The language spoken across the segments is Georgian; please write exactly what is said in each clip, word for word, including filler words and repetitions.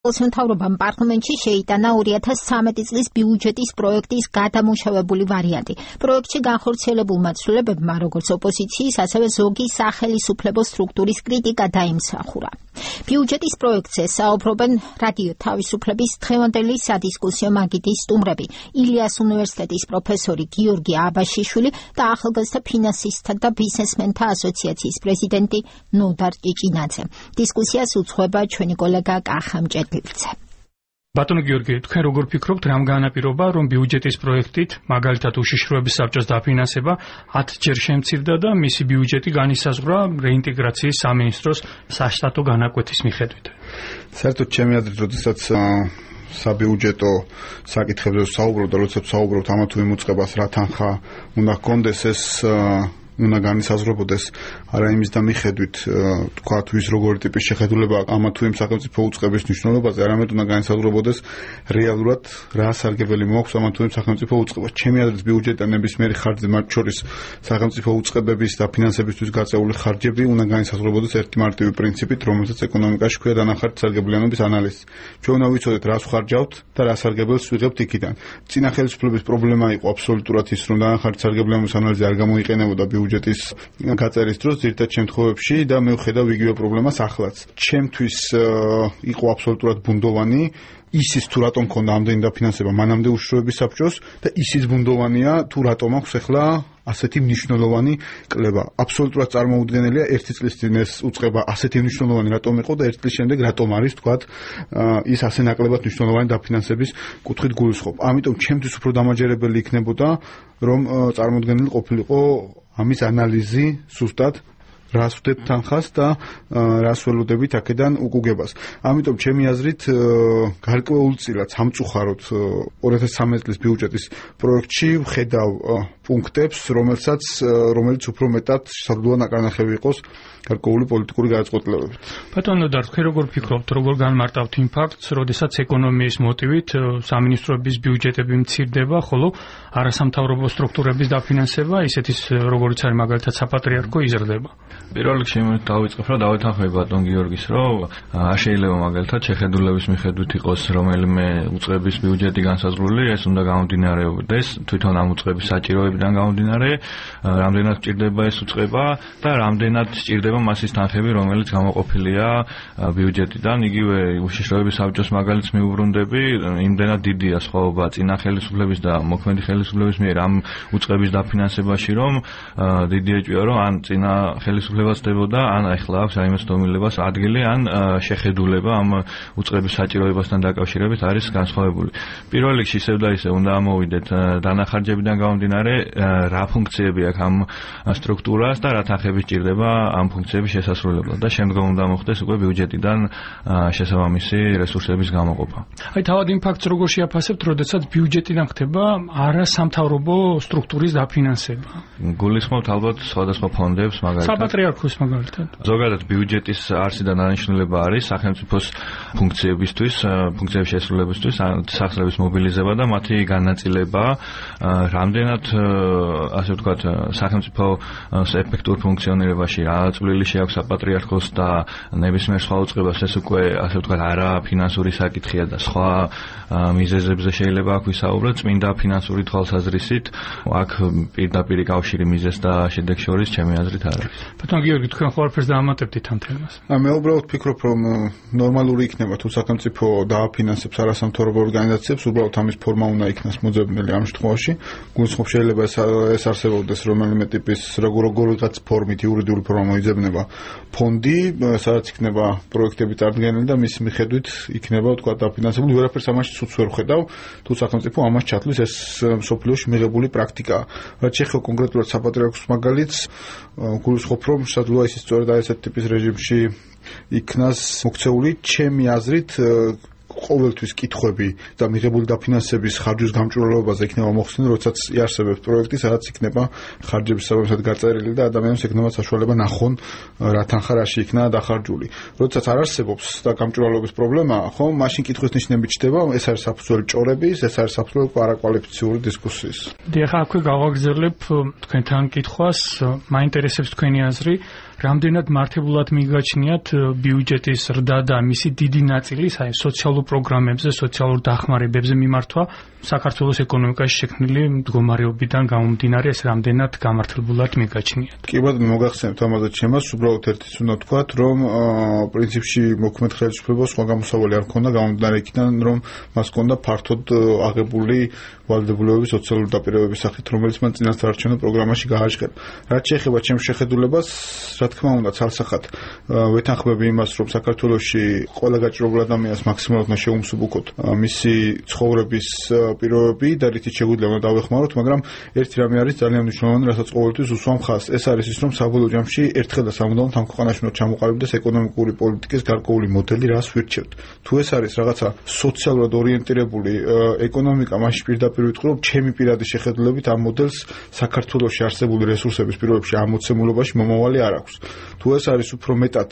მთავრობამ პარლამენტში შეიტანა ორი ათას ცხრამეტი წლის ბიუჯეტის პროექტის გადამუშავებული ვარიანტი. პროექტში განხორციელებულ მაცვლებებმა, როგორც ოპოზიციის, ასევე ზოგი სახელისუფლებო სტრუქტურის კრიტიკა დაიმსახურა. ბიუჯეტის პროექტზე საუბრობენ რადიო თავისუფლების დღევანდელი სადისკუსიო მაგიდის სტუმრები, ილიას უნივერსიტეტის პროფესორი გიორგი აბაშიშვილი და ახალგაზრდა ფინანსისტთა და ბიზნესმენთა ასოციაციის პრეზიდენტი ნოდარ ჭიჭინაძე. დისკუსიას უძღვება ჩვენი კოლეგა კახამჭე. ბატონო გიორგი, თქვენ როგორ ფიქრობთ, რამ განაპირობა, რომ ბიუჯეტის პროექტით, მაგალითად უშიშროების საბჭოს დაფინანსება ათჯერ შემცირდა და მისი ბიუჯეტი განისაზღვრა რეინტეგრაციის სამინისტროს საშტატო განაკვეთის მიხედვით? საერთოდ ჩემი აზრით, როდესაც საბიუჯეტო საკითხებზე საუბრობ და როდესაც საუბრობთ ამა თუ იმ უწყებას, რა თანხა უნდა ჰქონდეს, ეს უნდა განისაზღვრებოდეს არა იმის და მიხედვით თქვათ ვის როგორი ტიპის შეხედულება ამა თუ იმ სახელმწიფო უწყების მნიშვნელობაზე, არამედ უნდა განისაზღვრებოდეს რეალურად რა სარგებელი მოაქვს ამა თუ იმ სახელმწიფო უწყებას. ჩემი აზრით, ბიუჯეტი ნებისმიერი ხარჯზე, მათ შორის სახელმწიფო უწყებების და ფინანსებისთვის გაწეული ხარჯები უნდა განისაზღვრებოდეს ერთი მარტივი პრინციპით, რომელსაც ეკონომიკაში ქვია დანახარჯ სარგებლიანობის ანალიზი. ჩვენ უნდა ვიცოდეთ, რას ვხარჯავთ და რა სარგებელს ვიღებთ იქიდან. წინა ხელისუფლების პრობლემა იყო აბსოლუტურად ის, რომ დანახარჯ სარგებლიანობის ანალიზი არ გამოიყენებოდა ბიუჯეტის გაწერის დროს ძირითად შემთხვევებში და მე ვხედავ იგივე პრობლემას ახლაც. ჩემთვის იყო აბსოლუტურად ბუნდოვანი ისიც თუ რატომ ქონდა ამდენი დაფინანსება მანამდე უშიშროების საბჭოს და ისიც ბუნდოვანია თუ რატომ აქვს ახლა ასეთი მნიშვნელოვანი კლება. აბსოლუტურად წარმოუდგენელია ერთი წლის წინ ეს უწყება ასეთი მნიშვნელოვანი რატომ იყო და ერთი წლის შემდეგ რატომ არის თქვათ ის ასე ნაკლებად მნიშვნელოვანი დაფინანსების კუთხით გულისხმობ. ამიტომ ჩემთვის უფრო დამაჯერებელი იქნებოდა რომ წარმოუდგენელი ყოფილიყო ამის ანალიზი სუსტად რას ვდებ თანხას და რას ველოდებით აქედან უკუგებას. ამიტომ ჩემი აზრით გარკვეულწილად სამწუხაროდ ორი ათას ცხრამეტი წლის ბიუჯეტის პროექტში ვხედავ პუნქტებს, რომელსაც რომელიც უფრო მეტად შესაძლოა ნაკარნახევი იყოს გარკვეული პოლიტიკური გადაწყვეტილებებით. ბატონო და თქვენ როგორ ფიქრობთ, როგორ განმარტავთ იმ ფაქტს, როდესაც ეკონომიის მოტივით სამინისტროების ბიუჯეტები მცირდება, ხოლო არასამთავრობო სტრუქტურების დაფინანსება, ისეთის როგორიც არის მაგალითად საპატრიარქო, იზრდება? პირველ რიგში დავიწყებ, რომ დავეთანხმები ბატონ გიორგის, რომ არ შეიძლება მაგალითად შეხედულების მიხედვით იყოს რომელიმე უწყების ბიუჯეტი განსაზღვრული, ეს უნდა გამომდინარეობდეს თვითონ ამ უწყების საჭიროებიდან გამომდინარე, რამდენად სჭირდება ეს უწყება და რამდენად სჭირდება მასის თანხები, რომელიც გამოყოფილია ბიუჯეტიდან. იგივე უშიშროების საბჭოს მაგალითს მიუბრუნდები, იმდენად დიდია სხვაობა წინა ხელისუფლების და მოქმედი ხელისუფლების მიერ ამ უწყების დაფინანსებაში, რომ დიდი ეჭვია, რომ ან წინა ხელისუფლებას დებოდა, ან ახლა აქვს რაიმე დომილებას ადგილი, ან შეხედულება ამ უწყების საჭიროებასთან დაკავშირებით არის განსხვავებული. პირველ რიგში ისევ და ისევ უნდა ამოვიდეთ დანახარჯებიდან გამომდინარე, რა ფუნქციები აქვს ამ სტრუქტურას და რა თანხები სჭირდება ამ ფუნქციების შესასრულებლად და შემდგომ უნდა მოხდეს უკვე ბიუჯეტიდან შესაბამისი რესურსების გამოყოფა. აი თავად იმ ფაქტს როგორ შეაფასებთ, როდესაც ბიუჯეტიდან ხდება არასამთავრობო სტრუქტურის დაფინანსება? გულისხმობთ ალბათ სხვადასხვა ფონდებს, მაგალითად საპატრიარქოს მაგალითად. ზოგადად ბიუჯეტის არსიდან დანიშნულება არის სახელმწიფოს ფუნქციებისთვის, ფუნქციების შესრულებისთვის, სახსრების მობილიზება და მათი განაწილება, რამდენად ასე ვთქვათ, სახელმწიფო ეფექტურ ფუნქციონირებაში რა წვლილი შეაქვს საპატრიარქოს და ნებისმიერ სხვა უწყებას, ეს უკვე ასე ვთქვათ არა ფინანსური საკითხია და სხვა მიზეზებზე შეიძლება აქ ვისაუბროთ. წმინდა ფინანსური თვალსაზრისით აქ პირდაპირი კავშირი მიზეზ და შედეგ შორის ჩემი აზრით არ არის. ბატონ გიორგი, თქვენ ყველაფერს დაამატებდით ამ თემას? მე უბრალოდ ფიქრობ, რომ ნორმალური იქნება თუ სახელმწიფო დააფინანსებს არასამთავრობო ორგანიზაციებს, უბრალოდ ამის ფორმა უნდა იქნას მოძებნილი ამ შემთხვევაში. გულისხმობ შეიძლება ეს არსებობდეს რომელიმე ტიპის როგორიღაც ფორმით იურიდიული ფორმა მოიძებნება ფონდი, სადაც იქნება პროექტები წარდგენილი და მის მიხედვით იქნება თქვა დაფინანსებული. ვერაფერს ამაში ცუც ვერ ვხედავ, თუ სახელმწიფო ამას ჩათვლის, ეს მსოფლიოში მიღებული პრაქტიკაა. რაც შეეხება კონკრეტულად საპატრიარქოს მაგალითს, გულისხმობ, რომ შესაძლოა ის სწორედ ასეთ ტიპის რეჟიმში იქნას მოქცეული. ჩემი აზრით ყოველთვის კითხვები და მიღებული დაფინანსების ხარჯის გამჭვირვალობაზე იქნება მოხსნილი, როდესაც იარსებებს პროექტი, სადაც იქნება ხარჯების საბოლოოდ გაწერილი და ადამიანს ექნება საშუალება ნახონ რა თანხა რაში იქნა დახარჯული. როდესაც არ არსებობს და გამჭვირვალობის პრობლემა, ხო, მაშინ კითხვის ნიშნები ჩდება, ეს არის საფუძველი ჭორების, ეს არის საფუძველი არაკვალიფიციური დისკუსიის. დიახ, აქვე გავაგრძელებ თქვენთან კითხვას, მაინტერესებს თქვენი აზრი. რამდენად მართებულად მიგაჩნიათ ბიუჯეტის ზრდა და მისი დიდი ნაწილი აი სოციალურ პროგრამებზე, სოციალურ დახმარებებზე მიმართვა საქართველოს ეკონომიკაში შექმნილი მდგომარეობიდან გამომდინარე ეს რამდენად გამართლებულად მიგაჩნიათ. კი ბატონო, მოგახსენებთ ამაზე ჩემას, უბრალოდ ერთის უნდა თქვათ, რომ პრინციპში მოქმედ ხელისუფლებას სხვა გამოსავალი არ ჰქონდა გამომდინარე იქიდან, რომ მას ჰქონდა ფართოდ აღებული ვალდებულებების სოციალური დაპირებების სახით, რომელიც მან წინასწარ პროგრამაში გააჟღერა. რაც შეეხება ჩემს შეხედულებას, რა თქმა უნდა, ცალსახად ვეთანხმები იმას, რომ საქართველოში ყველა გაჭირებულ ადამიანს მაქსიმალურად უნდა შეუმსუბუქოთ მისი ცხოვრების პირობები და რითიც შეგვიძლია უნდა დავეხმაროთ, მაგრამ ერთი რამე არის ძალიან მნიშვნელოვანი, რასაც ყოველთვის უსვამ ხაზს. ეს არის ის, რომ საბოლოო ჯამში ერთხელ და სამუდამოდ ამ ქვეყანაში უნდა ჩამოყალიბდეს ეკონომიკური პოლიტიკის გარკვეული მოდელი, რას ვირჩევთ. თუ ეს არის რაღაცა სოციალურად ორიენტირებული ეკონომიკა, მაშინ პირდაპირ ვიტყვი, რომ ჩემი პირადი შეხედულებით ამ მოდელს საქართველოში არსებული რესურსების პირობებში ამოცემულობაში მომავალი არ აქვს. თუ ეს არის უფრო მეტად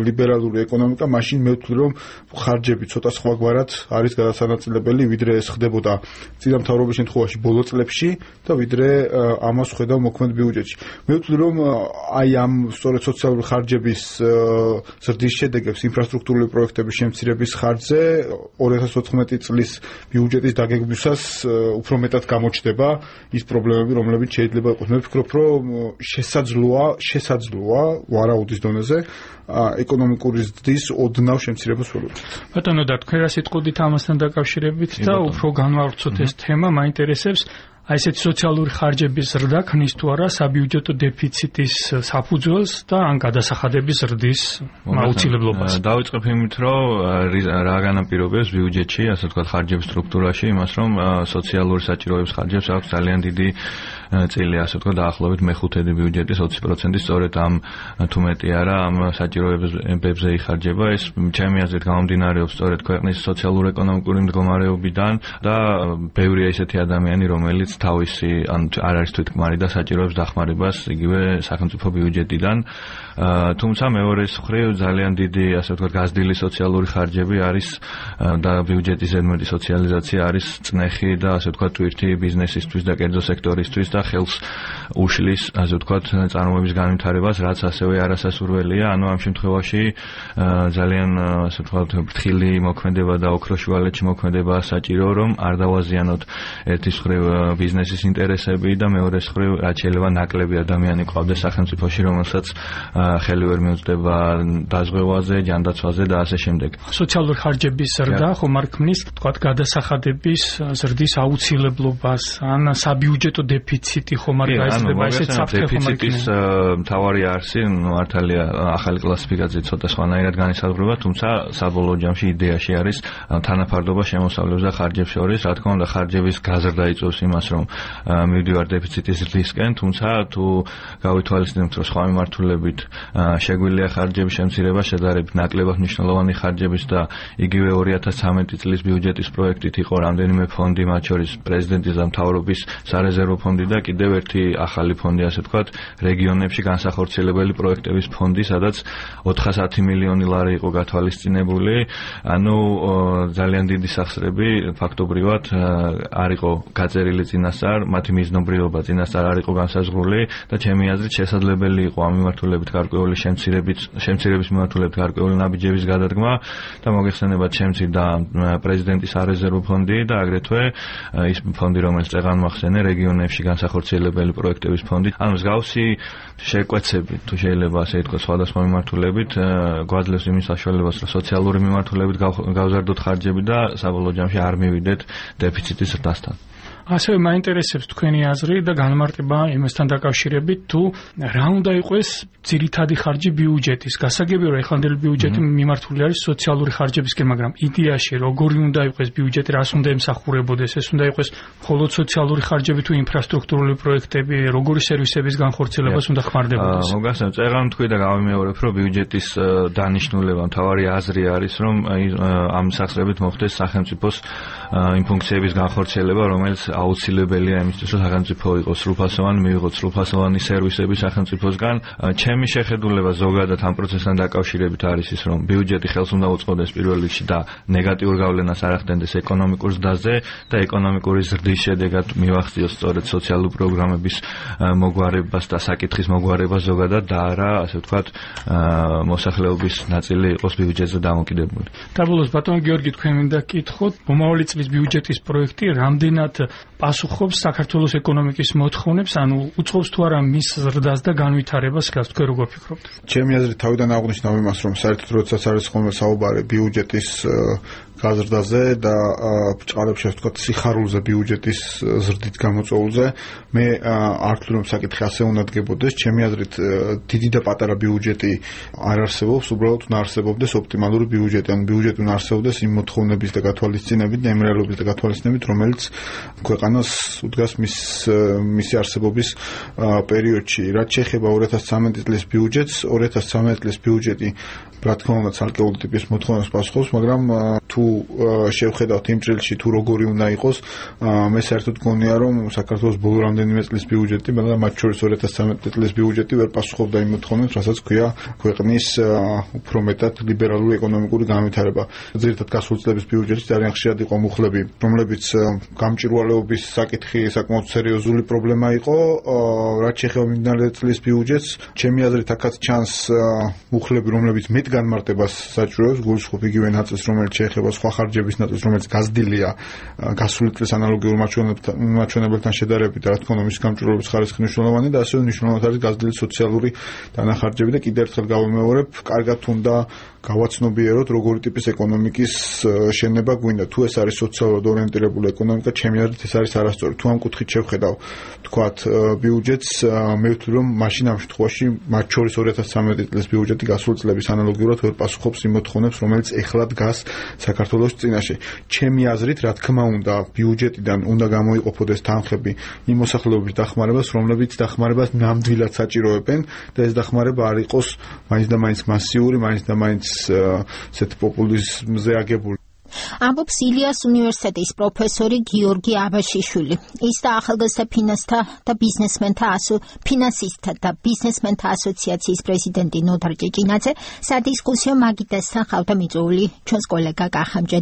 ლიბერალური ეკონომიკა, მაშინ მე ვთვლი, რომ ხარჯები ცოტა სხვაგვარად არის გადასანაწილებელი, ვიდრე ეს ხდებოდა წინა მთავრობის შემთხვევაში ბოლო წლებში და ვიდრე ამას ხედავ მოქმედ ბიუჯეტში. მე ვთვლი, რომ აი ამ სწორედ სოციალური ხარჯების ზრდის შედეგებს ინფრასტრუქტურული პროექტების შემცირების ხარჯზე ორი ათას ოთხმეტი წლის ბიუჯეტის დაგეგმვისას უფრო მეტად გამოჩნდება ის პრობლემები, რომლებიც შეიძლება იყოს. მე ვფიქრობ, რომ შესაძლოა, შესაძლოა ვარაუდის დონეზე ეკონომიკური ზრდის ოდნავ შემცირებას ველოდებით. ბატონო, და თქვენ რა სიტყვით ამასთან დაკავშირებით და უფრო განვავრცოთ ეს თემა, მაინტერესებს აი ესეთი სოციალური ხარჯების ზრდა ქმნის თუ არა საბიუჯეტო დეფიციტის საფუძველს და ან გადასახადების ზრდის აუცილებლობას. დავიწყებ იმით, რომ რა განაპირობებს ბიუჯეტში, ასე ვთქვათ, ხარჯების სტრუქტურაში იმას, რომ სოციალური საჭიროების ხარჯებს აქვს ძალიან დიდი წილი, ასე ვთქვათ, დაახლოებით მეხუთედი ბიუჯეტის ოცი პროცენტი სწორედ ამ თუ მეტი არა ამ საჭიროებებზე იხარჯება. ეს ჩემი აზრით გამომდინარეობს სწორედ ქვეყნის სოციალურ-ეკონომიკური მდგომარეობიდან და ბევრია ისეთი ადამიანი, რომელიც თავისი ან არ არის თვითკმარი და საჭიროებს დახმარებას იგივე სახელმწიფო ბიუჯეტიდან. თუმცა მეორეს მხრივ ძალიან დიდი, ასე ვთქვათ, გაზრდილი სოციალური ხარჯები არის და ბიუჯეტის ზედმეტი სოციალიზაცია არის წნეხი და ასე ვთქვათ, თვირთი ბიზნესისთვის და კერძო სექტორისთვის და ხელს უშლის, ასე ვთქვათ, წარმოების განვითარებას, რაც ასევე არასასურველია. ანუ ამ შემთხვევაში ძალიან, ასე ვთქვათ, ფრთხილი მოქმედება და ოქროშუალეთში მოქმედება საჭირო, რომ არ დავაზიანოთ ერთის მხრივ ბიზნესის ინტერესები და მეორეს მხრივ რაც შეიძლება ნაკლები ადამიანი ყავდეს სახელმწიფოში, რომელსაც ხელი ვერ მიუწვდება დაზღვევაზე, ჯანდაცვაზე და ასე შემდეგ. სოციალური ხარჯების ზრდა ხომ არ ქმნის, თქვათ, გადასახადების ზრდის აუცილებლობას, ან საბიუჯეტო დეფიციტი ხომ არ გაიზრდება, ესეც საფრთხე ხომ არ ქმნის. მთავარი არსი, მართალია ახალი კლასიფიკაცია ცოტა სხვანაირად განისაზღვრება, თუმცა საბოლოო ჯამში იდეაში არის თანაფარდობა შემოსავლებს და ხარჯებს შორის. რა თქმა უნდა, ხარჯების გაზრდა იწვევს იმას, რომ მივდივარ დეფიციტის ზრდისკენ, თუმცა თუ გავითვალისწინებთ, რომ სხვა მიმართულებით შეგვიძლია ხარჯების შემცირება შედარებით ნაკლებად მნიშვნელოვანი ხარჯების და იგივე ორი ათას ცხრამეტი წლის ბიუჯეტის პროექტით იყო რამდენიმე ფონდი, მათ შორის პრეზიდენტის და მთავრობის სარეზერვო ფონდი და კიდევ ერთი ახალი ფონდი, ასე ვთქვათ, რეგიონებში განსახორციელებელი პროექტების ფონდი, სადაც ოთხასათი მილიონი ლარი იყო გათვალისწინებული. ანუ ძალიან დიდი სახსრები ფაქტობრივად არ იყო გაწერილი წინასწარ, მათი მიზნობრიობა წინასწარ არ იყო განსაზღვრული და ჩემი აზრით შესაძლებელი იყო ამ მიმართულებით გარკვეული შემცირების შემცირების მიმართულებით გარკვეული ნაბიჯების გადადგმა და მოგეხსენებათ შემცირდა პრეზიდენტის არეზერვო ფონდი და აგრეთვე ის ფონდი, რომელიც წეღან მოახსენე რეგიონებში განსახორციელებელი პროექტების ფონდი. ანუ მსგავსი შეკვეცები, თუ შეიძლება ასე ითქვას, სხვადასხვა მიმართულებით გვაძლევს იმის საშუალებას, რომ სოციალური მიმართულებით გავზარდოთ ხარჯები და საბოლოო ჯამში არ მივიდეთ დეფიციტის ზრდასთან. ასევე მაინტერესებს თქვენი აზრი და განმარტება იმასთან დაკავშირებით, თუ რა უნდა იყოს ძირითადი ხარჯი ბიუჯეტის. გასაგებია, რომ ეხანდელი ბიუჯეტი მიმართული არის სოციალური ხარჯებისკენ, მაგრამ იდეაში როგორი უნდა იყოს ბიუჯეტი, რას უნდა ემსახურებოდეს, ეს უნდა იყოს მხოლოდ სოციალური ხარჯები თუ ინფრასტრუქტურული პროექტები, როგორი სერვისების განხორციელებას უნდა ხმარდებოდეს. მოგახსენებთ, წეღან თქვი და გავიმეორებ, რომ ბიუჯეტის დანიშნულება, მთავარი აზრი არის, რომ ამ სახსრებით მოხდეს სახელმწიფოს იმ ფუნქციების განხორციელება, რომელიც აუცილებელია იმისთვის, რომ სახელმწიფო იყოს სრულფასოვანი, მიიღოს სრულფასოვანი სერვისები სახელმწიფოსგან. ჩემი შეხედულება ზოგადად ამ პროცესთან დაკავშირებით არის ის, რომ ბიუჯეტი ხელს უნდა უწყობდეს პირველ რიგში და ნეგატიურ გავლენას არ ახდენდეს ეკონომიკურ ზრდაზე და ეკონომიკური ზრდის შედეგად მივახციოს სწორედ სოციალური პროგრამების მოგვარებას და საკითხის მოგვარებას ზოგადად და არა, ასე ვთქვათ, მოსახლეობის ნაწილი იყოს ბიუჯეტზე დამოკიდებული. დაბოლოს ბატონო გიორგი, თქვენ მინდა გკითხოთ, მომავალი წლის ბიუჯეტის პროექტი რამდენად პასუხობს საქართველოს ეკონომიკის მოთხოვნებს, ანუ უწყობს თუ არა მის ზრდას და განვითარებას, გას თქვენ როგორ ფიქრობთ? ჩემი აზრით თავიდან აღნიშნავ იმას, რომ საერთოდ როდესაც არის ხოლმე საუბარი ბიუჯეტის გაზრდაზე და ბრჭყალებში ვთქვათ სიხარულზე ბიუჯეტის ზრდით გამოწვეულზე, მე არ ვთვლი რომ საკითხი ასე უნდა დგებოდეს. ჩემი აზრით დიდი და პატარა ბიუჯეტი არ არსებობს, უბრალოდ უნდა არსებობდეს ოპტიმალური ბიუჯეტი, ან ბიუჯეტი უნდა არსებობდეს იმ მოთხოვნების და გათვალისწინებით და იმ რეალობის და გათვალისწინებით, რომელიც ქვეყანას უდგას მის მისი არსებობის პერიოდში. რაც შეეხება ორი ათას ცხრამეტი წლის ბიუჯეტს, ორი ათას ცხრამეტი წლის ბიუჯეტი რა თქმა უნდა ცალკეული ტიპის მოთხოვნებს პასუხობს, მაგრამ თუ შევხედავთ იმ წელში თუ როგორი უნდა იყოს, მე საერთოდ გონია რომ საქართველოს ბოლო რამდენიმე წლის ბიუჯეტი, მაგრამ მათ შორის ორი ათას ცხრამეტი წლის ბიუჯეტი ვერ პასუხობდა იმ მოთხოვნებს, რასაც ქვია ქვეყნის უფრო მეტად ლიბერალური ეკონომიკური განვითარება. ძირითადად გასული წლების ბიუჯეტში ძალიან ხშირად იყო მუხლები, რომლებიც გამჭვირვალეობის საკითხი საკმაოდ სერიოზული პრობლემა იყო. რაც შეეხება მიმდინარე წლის ბიუჯეტს, ჩემი აზრით აქაც ჩანს მუხლები, რომლებიც მეტ განმარტებას საჭიროებს, გულისხმობ იგივე ნაწილს, რომელიც შეეხება სხვა ხარჯების ნაწილს, რომელიც გაზრდილია გასული წლის ანალოგიურ მაჩვენებელთან შედარებით, რა თქმა უნდა, მის გამჭვირვალეობის ხარისხი მნიშვნელოვანია და ასევე მნიშვნელოვნად არის გაზრდილი სოციალური დანახარჯები და კიდევ ერთხელ გავიმეორებ, კარგად უნდა გავაცნობიეროთ როგორი ტიპის ეკონომიკის შენება გვინდა. თუ ეს არის სოციალურად ორიენტირებული ეკონომიკა, ჩემი აზრით ეს არის არასწორი. თუ ამ კუთხით შევხედავ, თქვათ, ბიუჯეტს, მე ვთვლი რომ მაშინ ამ შემთხვევაში მათ შორის ორი ათას ცხრამეტი წლის ბიუჯეტი გასული წლების ანალოგიურად ვერ პასუხობს იმ მოთხოვნებს, რომელიც ეხლა დგას საქართველოს წინაშე. ჩემი აზრით, რა თქმა უნდა, ბიუჯეტიდან უნდა გამოიყოფოდეს თანხები იმ მოსახლეობის დახმარებას, რომლებიც დახმარებას ნამდვილად საჭიროებენ და ეს დახმარება არ იყოს მაინც და მაინც მასიური, მაინც და მაინც ესეთ პოპულიზმზე აგებული. ამბობს ილიას უნივერსიტეტის პროფესორი გიორგი აბაშიშვილი. ის და ახალგაზრდა ფინანსთა და ბიზნესმენთა ფინანსისტთა და ბიზნესმენთა ასოციაციის პრეზიდენტი ნოდარ ჭეჭინაძე სადისკუსიო მაგიდასთან ხავდა მიწვეული ჩვენს კოლეგა კახამჯე